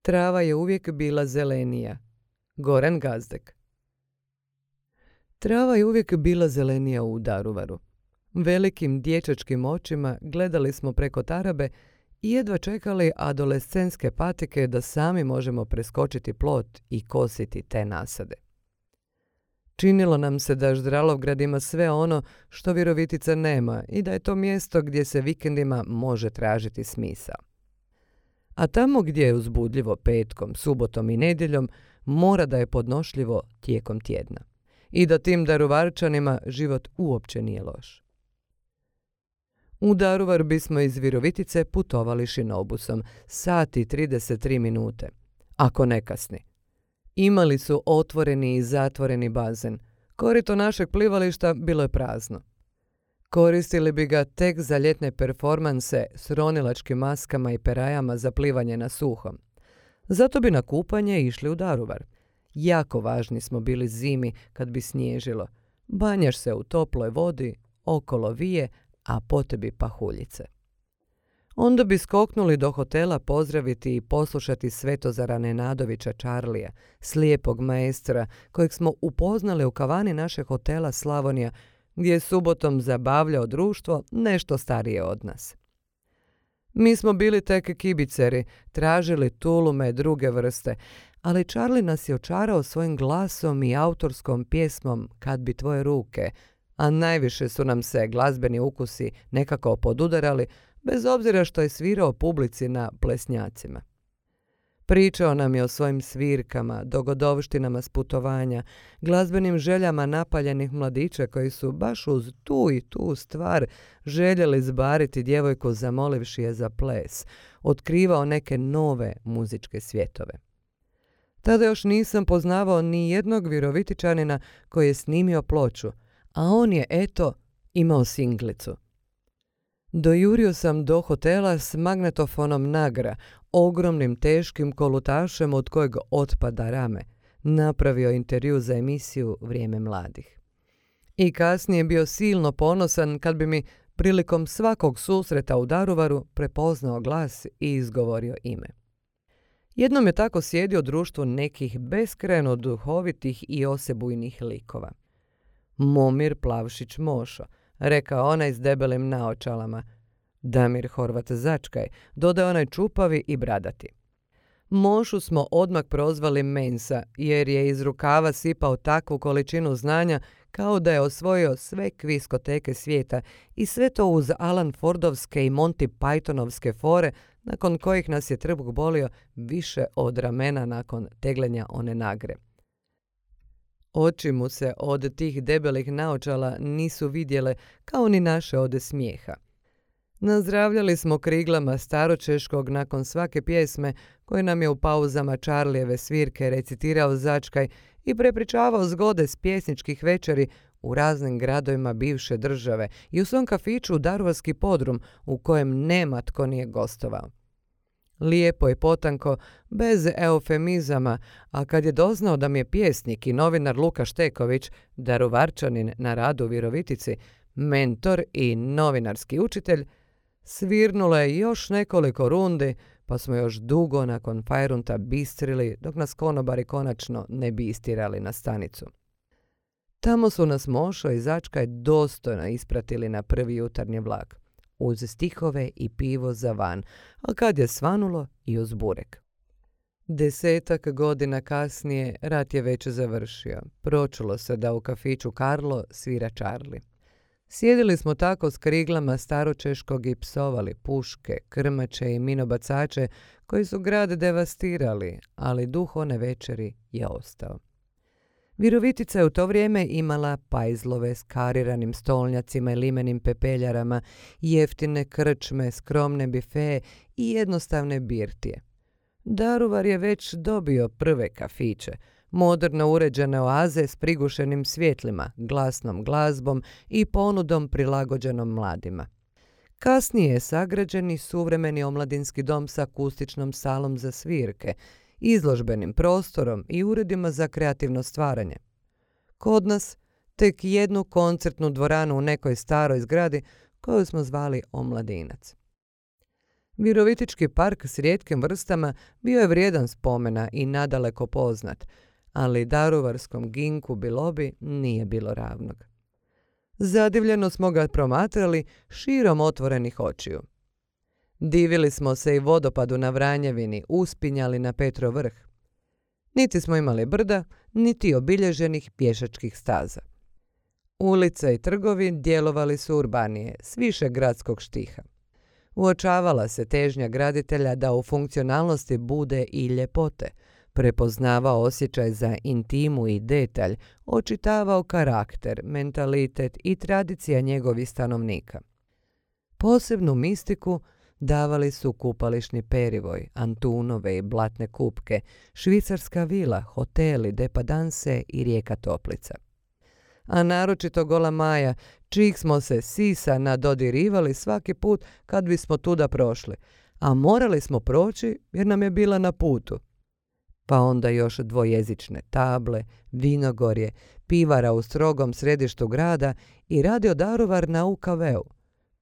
Trava je uvijek bila zelenija. Goran Gazdek. Trava je uvijek bila zelenija u Daruvaru. Velikim dječačkim očima gledali smo preko tarabe i jedva čekali adolescentske patike da sami možemo preskočiti plot i kositi te nasade. Činilo nam se da Ždralovgrad ima sve ono što Virovitica nema i da je to mjesto gdje se vikendima može tražiti smisao. A tamo gdje je uzbudljivo petkom, subotom i nedjeljom, mora da je podnošljivo tijekom tjedna. I da tim Daruvarčanima život uopće nije loš. U Daruvar bismo iz Virovitice putovali šinobusom, 1:33 minute, ako ne kasni. Imali su otvoreni i zatvoreni bazen. Korito našeg plivališta bilo je prazno. Koristili bi ga tek za ljetne performanse s ronilačkim maskama i perajama za plivanje na suhom. Zato bi na kupanje išli u Daruvar. Jako važni smo bili zimi kad bi snježilo. Banjaš se u toploj vodi, okolo vije, a po tebi pahuljice. Onda bi skoknuli do hotela pozdraviti i poslušati Svetozara Nenadovića Čarlija, slijepog maestra kojeg smo upoznali u kavani našeg hotela Slavonija, gdje je subotom zabavljao društvo nešto starije od nas. Mi smo bili tek kibiceri, tražili tulume druge vrste, ali Čarli nas je očarao svojim glasom i autorskom pjesmom Kad bi tvoje ruke, a najviše su nam se glazbeni ukusi nekako podudarali, bez obzira što je svirao publici na plesnjacima. Pričao nam je o svojim svirkama, dogodovštinama s putovanja, glazbenim željama napaljenih mladića koji su baš uz tu i tu stvar željeli zbariti djevojku zamolivši je za ples, otkrivao neke nove muzičke svjetove. Tada još nisam poznavao ni jednog Virovitičanina koji je snimio ploču, a on je, eto, imao singlicu. Dojurio sam do hotela s magnetofonom Nagra, ogromnim teškim kolutašem od kojeg otpada rame. Napravio intervju za emisiju Vrijeme mladih. I kasnije bio silno ponosan kad bi mi prilikom svakog susreta u Daruvaru prepoznao glas i izgovorio ime. Jednom je tako sjedio u društvu nekih beskrajno duhovitih i osebujnih likova. Momir Plavšić Mošo, rekao onaj s debelim naočalama. Damir Horvat Začkaj, dodao onaj čupavi i bradati. Mošu smo odmah prozvali Mensa, jer je iz rukava sipao takvu količinu znanja kao da je osvojio sve kviskoteke svijeta i sve to uz Alan Fordovske i Monty Pythonovske fore, nakon kojih nas je trbuh bolio više od ramena nakon tegljenja one Nagre. Oči mu se od tih debelih naočala nisu vidjele kao ni naše ode smijeha. Nazdravljali smo kriglama staročeškog nakon svake pjesme koje nam je u pauzama Čarlijeve svirke recitirao Začkaj i prepričavao zgode s pjesničkih večeri u raznim gradovima bivše države i u svom kafiću Daruvarski podrum u kojem nema tko nije gostovao. Lijepo i potanko, bez eufemizama, a kad je doznao da mi je pjesnik i novinar Luka Šteković, Daruvarčanin na radu u Virovitici, mentor i novinarski učitelj, svirnulo je još nekoliko rundi, pa smo još dugo nakon fajrunta bistrili dok nas konobari konačno ne bi istirali na stanicu. Tamo su nas Mošo i Začkaj dostojno ispratili na prvi jutarnji vlak, uz stihove i pivo za van, a kad je svanulo i uz burek. 10 godina kasnije rat je već završio. Pročulo se da u kafiću Karlo svira Čarli. Sjedili smo tako s kriglama staročeškog i psovali puške, krmače i minobacače koji su grad devastirali, ali duh one večeri je ostao. Virovitica je u to vrijeme imala pajzlove s kariranim stolnjacima i limenim pepeljarama, jeftine krčme, skromne bifeje i jednostavne birtije. Daruvar je već dobio prve kafiće, moderno uređene oaze s prigušenim svjetlima, glasnom glazbom i ponudom prilagođenom mladima. Kasnije je sagrađen i suvremeni omladinski dom s akustičnom salom za svirke, izložbenim prostorom i uredima za kreativno stvaranje. Kod nas tek jednu koncertnu dvoranu u nekoj staroj zgradi koju smo zvali Omladinac. Virovitički park s rijetkim vrstama bio je vrijedan spomena i nadaleko poznat, ali daruvarskom ginku bilobi nije bilo ravnog. Zadivljeno smo ga promatrali širom otvorenih očiju. Divili smo se i vodopadu na Vranjevini, uspinjali na Petrov vrh. Niti smo imali brda, niti obilježenih pješačkih staza. Ulice i trgovi djelovali su urbanije, s više gradskog štiha. Uočavala se težnja graditelja da u funkcionalnosti bude i ljepote, prepoznavao osjećaj za intimu i detalj, očitavao karakter, mentalitet i tradicija njegovih stanovnika. Posebnu mistiku davali su kupališni perivoj, Antunove i blatne kupke, švicarska vila, hoteli, depadanse i rijeka Toplica. A naročito Gola Maja, čijih smo se sisa nadodirivali svaki put kad bismo tuda prošli, a morali smo proći jer nam je bila na putu. Pa onda još dvojezične table, vinogorje, pivara u strogom središtu grada i radio Daruvar na UKV-u.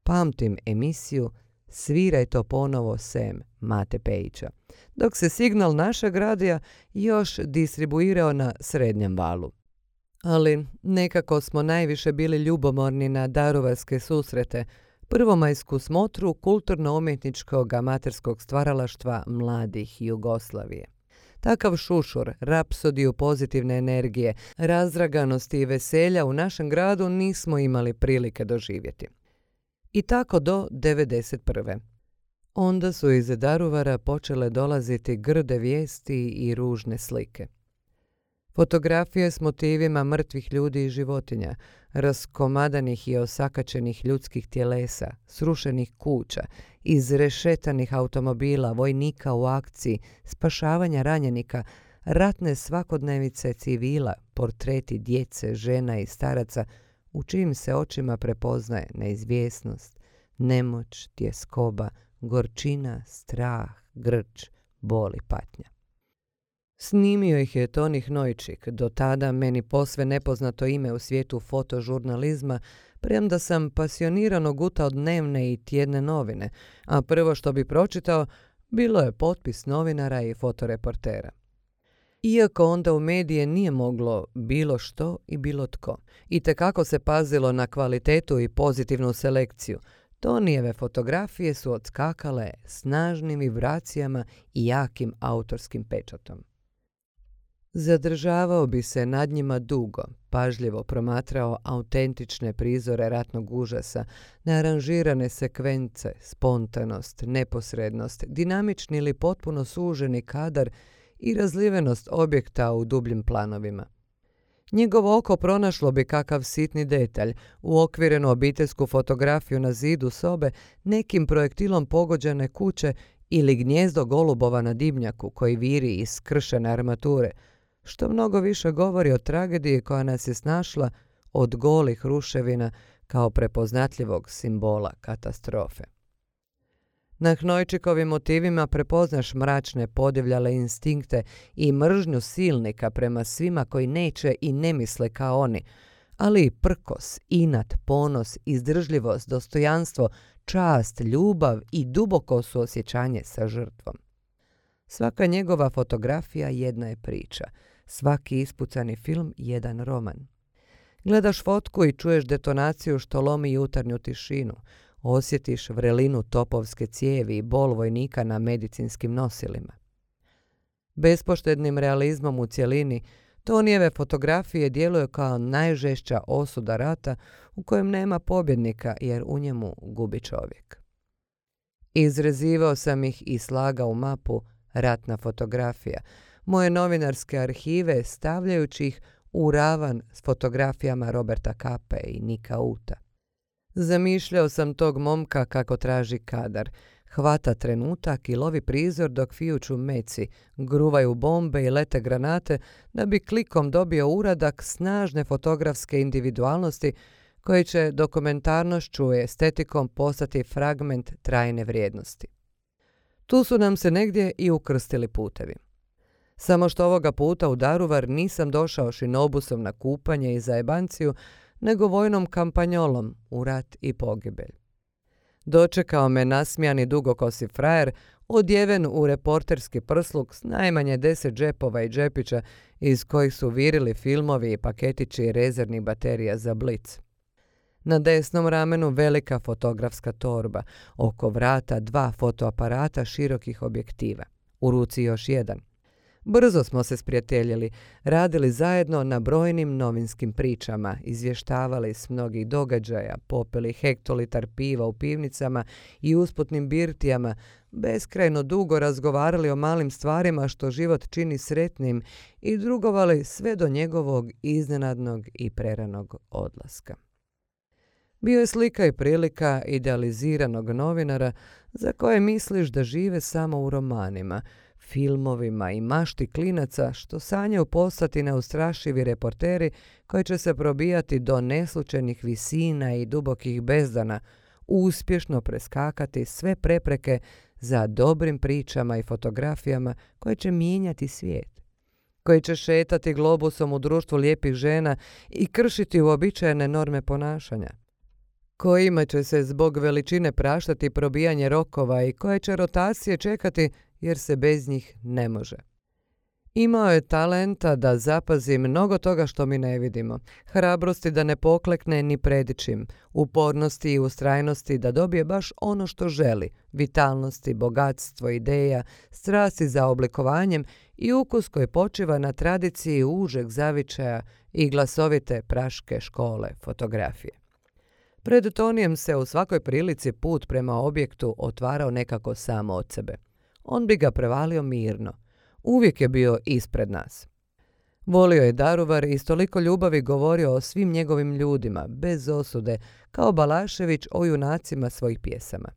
Pamtim emisiju Sviraj to ponovo sem Mate Pejića, dok se signal našeg radija još distribuirao na srednjem valu. Ali nekako smo najviše bili ljubomorni na daruvarske susrete, prvomajsku smotru kulturno-umjetničkog amaterskog stvaralaštva mladih Jugoslavije. Takav šušur, rapsodiju pozitivne energije, razraganosti i veselja u našem gradu nismo imali prilike doživjeti. I tako do 1991. Onda su iz Daruvara počele dolaziti grde vijesti i ružne slike. Fotografije s motivima mrtvih ljudi i životinja, raskomadanih i osakačenih ljudskih tjelesa, srušenih kuća, izrešetanih automobila, vojnika u akciji, spašavanja ranjenika, ratne svakodnevice civila, portreti djece, žena i staraca, u čijim se očima prepoznaje neizvjesnost, nemoć, tjeskoba, gorčina, strah, grč, bol i patnja. Snimio ih je Toni Hnojčik, do tada meni posve nepoznato ime u svijetu fotožurnalizma, premda sam pasionirano gutao dnevne i tjedne novine, a prvo što bi pročitao bilo je potpis novinara i fotoreportera. Iako onda u medije nije moglo bilo što i bilo tko, itekako se pazilo na kvalitetu i pozitivnu selekciju, Tonijeve fotografije su odskakale snažnim vibracijama i jakim autorskim pečatom. Zadržavao bi se nad njima dugo, pažljivo promatrao autentične prizore ratnog užasa, nearanžirane sekvence, spontanost, neposrednost, dinamični ili potpuno suženi kadar i razlivenost objekta u dubljim planovima. Njegovo oko pronašlo bi kakav sitni detalj, uokvirenu obiteljsku fotografiju na zidu sobe, nekim projektilom pogođene kuće ili gnjezdo golubova na dimnjaku koji viri iz skršene armature, što mnogo više govori o tragediji koja nas je snašla od golih ruševina kao prepoznatljivog simbola katastrofe. Na Hnojčikovim motivima prepoznaš mračne podivljale instinkte i mržnju silnika prema svima koji neće i ne misle kao oni, ali i prkos, inat, ponos, izdržljivost, dostojanstvo, čast, ljubav i duboko suosjećanje sa žrtvom. Svaka njegova fotografija jedna je priča, svaki ispucani film jedan roman. Gledaš fotku i čuješ detonaciju što lomi jutarnju tišinu, osjetiš vrelinu topovske cijevi i bol vojnika na medicinskim nosilima. Bespoštednim realizmom u cjelini, Tonijeve fotografije djeluju kao najžešća osuda rata u kojem nema pobjednika jer u njemu gubi čovjek. Izrezivao sam ih i slagao u mapu Ratna fotografija, moje novinarske arhive stavljajući ih u ravan s fotografijama Roberta Kape i Nika Uta. Zamišljao sam tog momka kako traži kadar, hvata trenutak i lovi prizor dok fijuću meci, gruvaju bombe i lete granate da bi klikom dobio uradak snažne fotografske individualnosti koji će dokumentarnošću i estetikom postati fragment trajne vrijednosti. Tu su nam se negdje i ukrstili putevi. Samo što ovoga puta u Daruvar nisam došao šinobusom na kupanje i zajebanciju, nego vojnom kampanjolom u rat i pogibelj. Dočekao me nasmijani dugokosi frajer, odjeven u reporterski prsluk s najmanje 10 džepova i džepića iz kojih su virili filmovi i paketići rezervnih baterija za blic. Na desnom ramenu velika fotografska torba, oko vrata 2 fotoaparata širokih objektiva, u ruci još jedan. Brzo smo se sprijateljili, radili zajedno na brojnim novinskim pričama, izvještavali s mnogih događaja, popili hektolitar piva u pivnicama i usputnim birtijama, beskrajno dugo razgovarali o malim stvarima što život čini sretnim i drugovali sve do njegovog iznenadnog i preranog odlaska. Bio je slika i prilika idealiziranog novinara za koje misliš da žive samo u romanima, filmovima i mašti klinaca što sanjaju postati neustrašivi reporteri koji će se probijati do neslučajnih visina i dubokih bezdana, uspješno preskakati sve prepreke za dobrim pričama i fotografijama koje će mijenjati svijet, koji će šetati globusom u društvu lijepih žena i kršiti uobičajene norme ponašanja, kojima će se zbog veličine praštati probijanje rokova i koje će rotacije čekati jer se bez njih ne može. Imao je talenta da zapazi mnogo toga što mi ne vidimo, hrabrosti da ne poklekne ni pred čim, upornosti i ustrajnosti da dobije baš ono što želi, vitalnosti, bogatstvo, ideja, strasti za oblikovanjem i ukus koji počiva na tradiciji užeg zavičaja i glasovite praške škole fotografije. Pred Tonijem se u svakoj prilici put prema objektu otvarao nekako samo od sebe. On bi ga prevalio mirno. Uvijek je bio ispred nas. Volio je Daruvar i s toliko ljubavi govorio o svim njegovim ljudima, bez osude, kao Balašević o junacima svojih pjesama.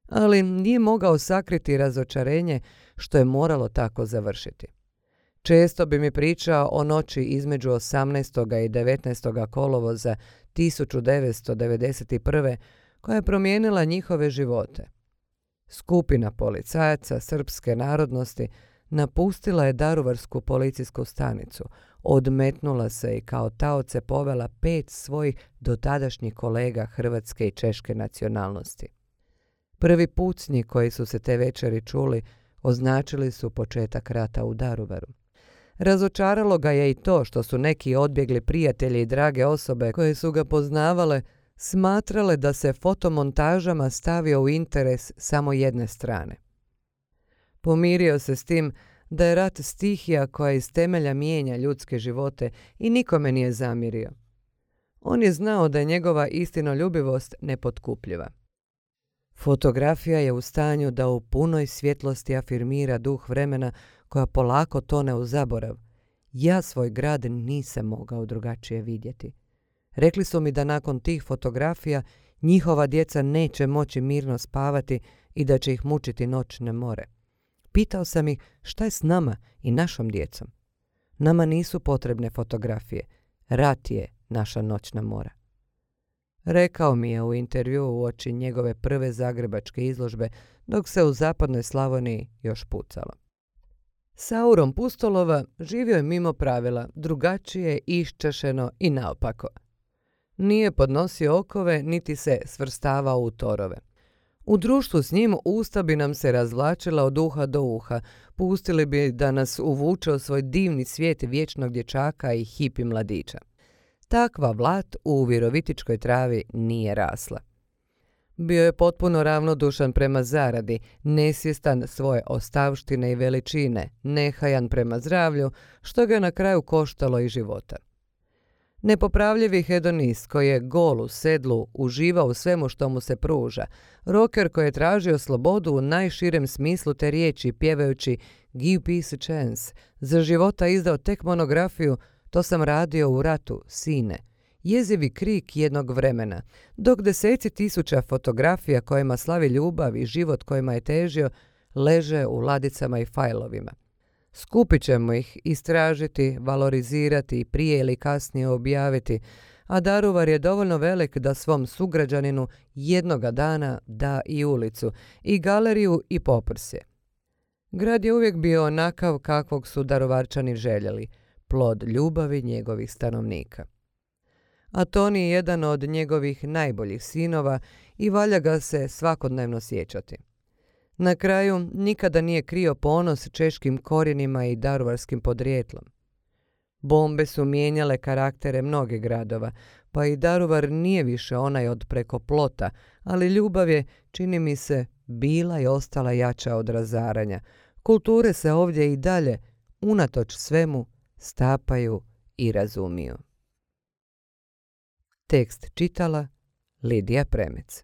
Ali nije mogao sakriti razočarenje što je moralo tako završiti. Često bi mi pričao o noći između 18. i 19. kolovoza 1991. koja je promijenila njihove živote. Skupina policajaca srpske narodnosti napustila je Daruvarsku policijsku stanicu, odmetnula se i kao taoce povela 5 svojih dotadašnjih kolega hrvatske i češke nacionalnosti. Prvi pucnji koji su se te večeri čuli označili su početak rata u Daruvaru. Razočaralo ga je i to što su neki odbjegli prijatelji i drage osobe koje su ga poznavale smatrale da se fotomontažama stavio u interes samo jedne strane. Pomirio se s tim da je rat stihija koja iz temelja mijenja ljudske živote i nikome nije zamjerio. On je znao da je njegova istinoljubivost nepotkupljiva. Fotografija je u stanju da u punoj svjetlosti afirmira duh vremena koja polako tone u zaborav. Ja svoj grad nisam mogao drugačije vidjeti. Rekli su mi da nakon tih fotografija njihova djeca neće moći mirno spavati i da će ih mučiti noćne more. Pitao sam ih šta je s nama i našom djecom. Nama nisu potrebne fotografije. Rat je naša noćna mora. Rekao mi je u intervjuu uoči njegove prve zagrebačke izložbe dok se u zapadnoj Slavoniji još pucalo. Sauron Pustolova živio je mimo pravila, drugačije, iščašeno i naopako. Nije podnosio okove niti se svrstavao u torove. U društvu s njim usta bi nam se razvlačila od uha do uha, pustili bi da nas uvuče u svoj divni svijet vječnog dječaka i hipi mladića. Takva vlat u virovitičkoj travi nije rasla. Bio je potpuno ravnodušan prema zaradi, nesvjestan svoje ostavštine i veličine, nehajan prema zdravlju, što ga je na kraju koštalo i života. Nepopravljivi hedonist koji je gol u sedlu uživao u svemu što mu se pruža, roker koji je tražio slobodu u najširem smislu te riječi pjevajući Give peace a chance, za života izdao tek monografiju To sam radio u ratu, sine, jezivi krik jednog vremena, dok deseci tisuća fotografija kojima slavi ljubav i život kojima je težio leže u ladicama i fajlovima. Skupit ćemo ih, istražiti, valorizirati i prije ili kasnije objaviti, a Daruvar je dovoljno velik da svom sugrađaninu jednoga dana da i ulicu, i galeriju i poprsje. Grad je uvijek bio onakav kakvog su Daruvarčani željeli, plod ljubavi njegovih stanovnika. a Toni je jedan od njegovih najboljih sinova i valja ga se svakodnevno sjećati. Na kraju nikada nije krio ponos češkim korijenima i daruvarskim podrijetlom. Bombe su mijenjale karaktere mnogih gradova, pa i Daruvar nije više onaj od preko plota, ali ljubav je, čini mi se, bila i ostala jača od razaranja. Kulture se ovdje i dalje, unatoč svemu, stapaju i razumiju. Tekst čitala Lidija Premec.